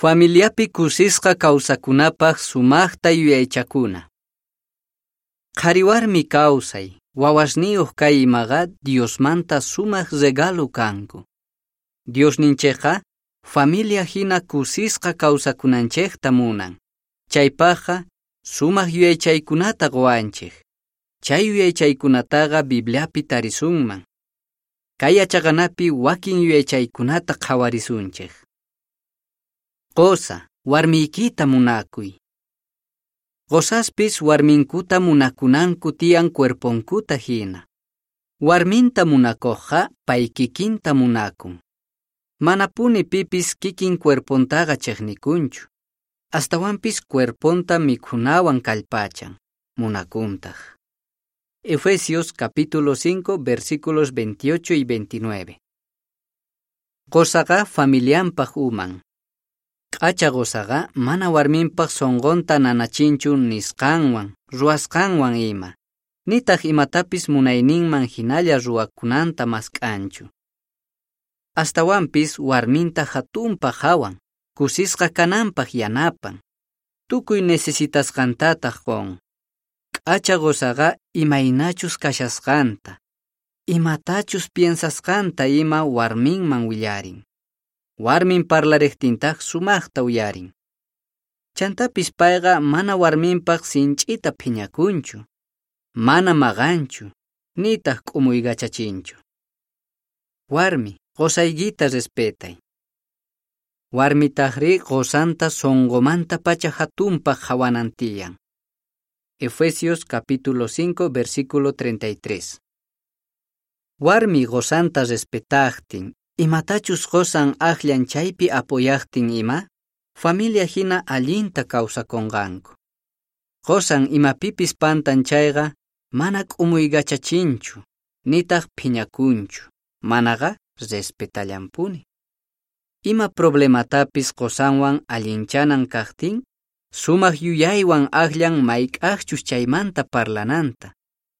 Familiapi kusisqa kawsakunapaq sumaqta yuyaychakuna. Qhariwarmi kawsay, wawasniyuq kay imaqa Diosmanta sumaq regalo kanku. Diosninchikqa familia hina kusisqa kawsakunanchikta munan. Chaypaqqa sumaq yuyaychaykunata quwanchik. Chay yuyaychaykunataqa Bibliapi tarisunman. Kay yachaqanapi wakin yuyaychaykunata qhawarisunchik. Qusa, warmiykita munakuy. Qusaspis warminkuta munakunanku tiyan cuerponkuta hina. Warminta munakuqqa pay kikinta munakun. Manapuni pipis kikin cuerpontaqa chiqnikunchu. Astawanpis cuerponta mikhunawan kallpachan, munakuntaq. Efesios capítulo 5 versículos 28 y 29. Qusaqa familianpaq uman. K'acha qusaqa mana warminpaq sunqunta nanachinchu nisqanwan, ruwasqanwan ima. Nitaq imatapis munayninman hinalla ruwakunanta mask'anchu. Astawanpis warminta hatunpaq hawan, kusisqa kananpaq yanapan. Tukuy necesitasqantataq qun. K'acha qusaqa imaynachus kashasqanta, imatachus piensasqanta ima warminman willarin. Warmin parlariqtintaq sumaqta uyarin. Chantapis payqa mana warminpaq sinch'ita phiñakunchu, mana maqanchu, nitaq k'umuykachachinchu. Warmi, qusaykita respetay. Warmitaqri qusanta sunqumantapacha hatunpaq hawanan tiyan. Efesios capítulo 5 versículo 33. Warmi qusanta respetaqtin, imatachus qusan aqllan chaypi apoyaqtin ima, familia hina allinta kawsakunqanku. Qusan imapipis pantan chayqa, mana k'umuykachachinchu, nitaq phiñakunchu, manaqa respetallanpuni. Ima problematapis qusanwan allinchanan kaqtin, sumaq yuyaywan aqllan mayk'aqchus chaymanta parlananta,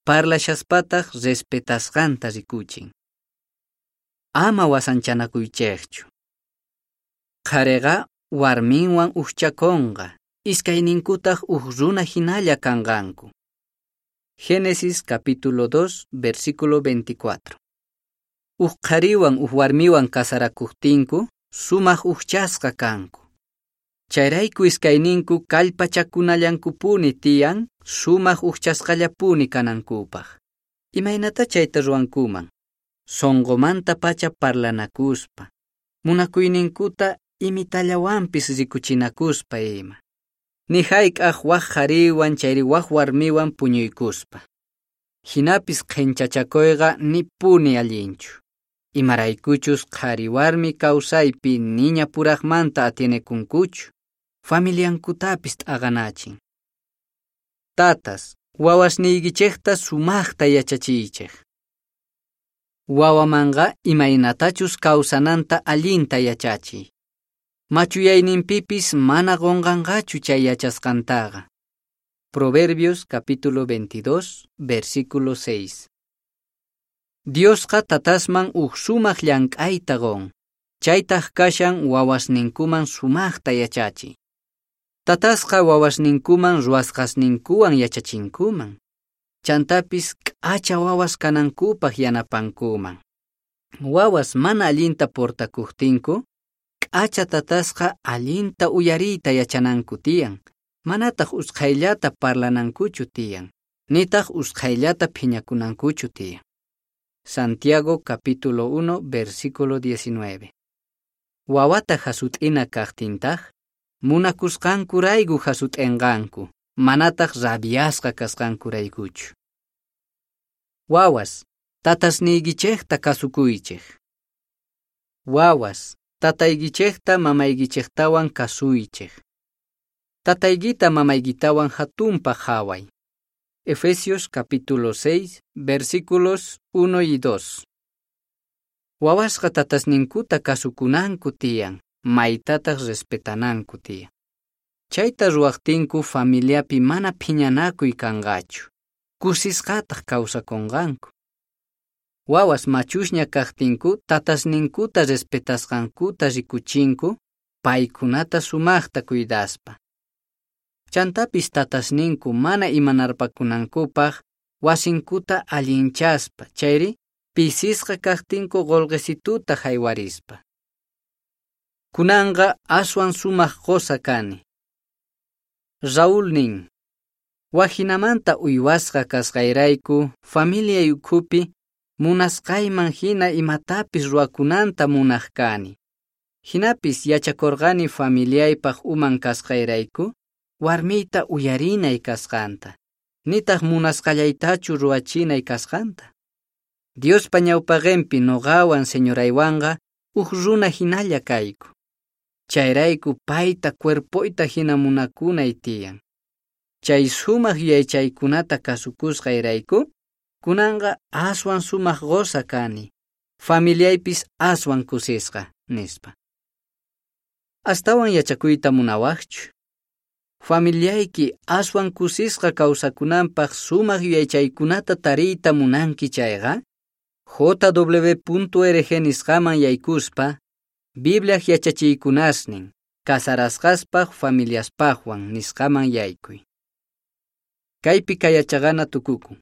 parlashaspataq respetasqanta rikuchin. Ama wasanchanakuychikchu. Qhariqa warminwan uqchakunqa, iskayninkutaq uq runa hinalla kanqanku. Génesis capítulo 2, versículo 24. Uq qhariwan uq warmiwan kasarakuqtinku, sumaq uqchasqa kanku. Chayrayku iskayninku kallpachakunallankupuni tiyan, sumaq uqchasqallapuni kanankupaq. Imaynata chayta ruwankuman? Sunqumanta pacha parlanakuspa, munakuyninkuta imitallawanpis rikuchinakuspa ima. Ni hayk'aq wak qhariwan chayri wak warmiwan puñuykuspa. Hinapis qhinchachakuyqa nipuni allinchu. Imaraykuchus qhari warmi kawsaypi niña puraqmanta atienekunkuchu, familiankutapis t'aqanachin. Tatas, wawasniykichikta sumaqta yachachiychik. Wawamanqa imaynatachus kawsananta allinta yachachiy. Machuyayninpipis mana qunqanqachu chay yachasqantaqa. Proverbios capítulo 22, versículo 6. Diosqa tatasman uq sumaq llank'ayta qun, chaytaq kashan wawasninkuman sumaqta yachachiy. Tatasqa wawasninkuman ruwasqasninkuwan yachachinkuman. Chantapis k'acha wawas kanankupaq yanapankuman. Wawas mana allinta portakuqtinku, k'acha tatasqa allinta uyariyta yachananku tiyan, manataq usqhayllata parlanankuchu tiyan, nitaq usqhayllata phiñakunankuchu tiyan. Santiago capítulo 1, versículo 19. Wawata hasut'ina kaqtintaq, munakusqankurayku hasut'inqanku, manataq rabiasqa kasqankuraykuchu. Wawas, tatasniykichikta kasukuychik. Wawas, tataykichikta mamaykichiktawan kasuychik. Tataykita mamaykitawan hatunpaq haway. Efesios capítulo 6, versículos 1 y 2. Wawasqa tatasninkuta kasukunanku tiyan, maytataq respetananku tiyan. Chayta ruwaqtinku familiapi mana phiñanakuy kanqachu, kusisqataq kawsakunqanku. Wawas machusña kaqtinku tatasninkuta respetasqankuta rikuchinku, paykunata sumajta cuidaspa. Chantapis tatasninku mana imanarpakunankupaj wasinkuta allinchaspa chayri pisisqa kajtinku qolqesituta jaywarispa. Kunanqa aswan sumaq qosa kani. Raúl nin: Wajinamanta uywasqa kasqayrayku familiay ukhupi munasqayman hina imatapis ruwakunanta munaq kani. Hinapis yachakurqani familiaypaq uman kasqayrayku warmiyta uyarinay kasqanta, nitaq munasqallaytachu ruwachinay kasqanta. Diospa ñawpaqinpi nuqawan señoraywanqa huk runa hinalla kayku. Chayrayku payta cuerpoyta hina munakunay tiyan. Chay sumaq yuyaychaykunata kasukusqayrayku, kunanqa aswan sumaq qosa kani, familiaypis aswan kusisqa, nispa. Astawan yachakuyta munawaqchu? Familiayki aswan kusisqa kawsakunanpaq sumaq yuyaychaykunata tariyta munanki chayqa, jw.org nisqaman yaykuspa, Bibliaj yachachiykunasnin, casarasqaspaq familiaspaqwan nisqaman yaykuy. Kaypi kay yachaqana tukukun.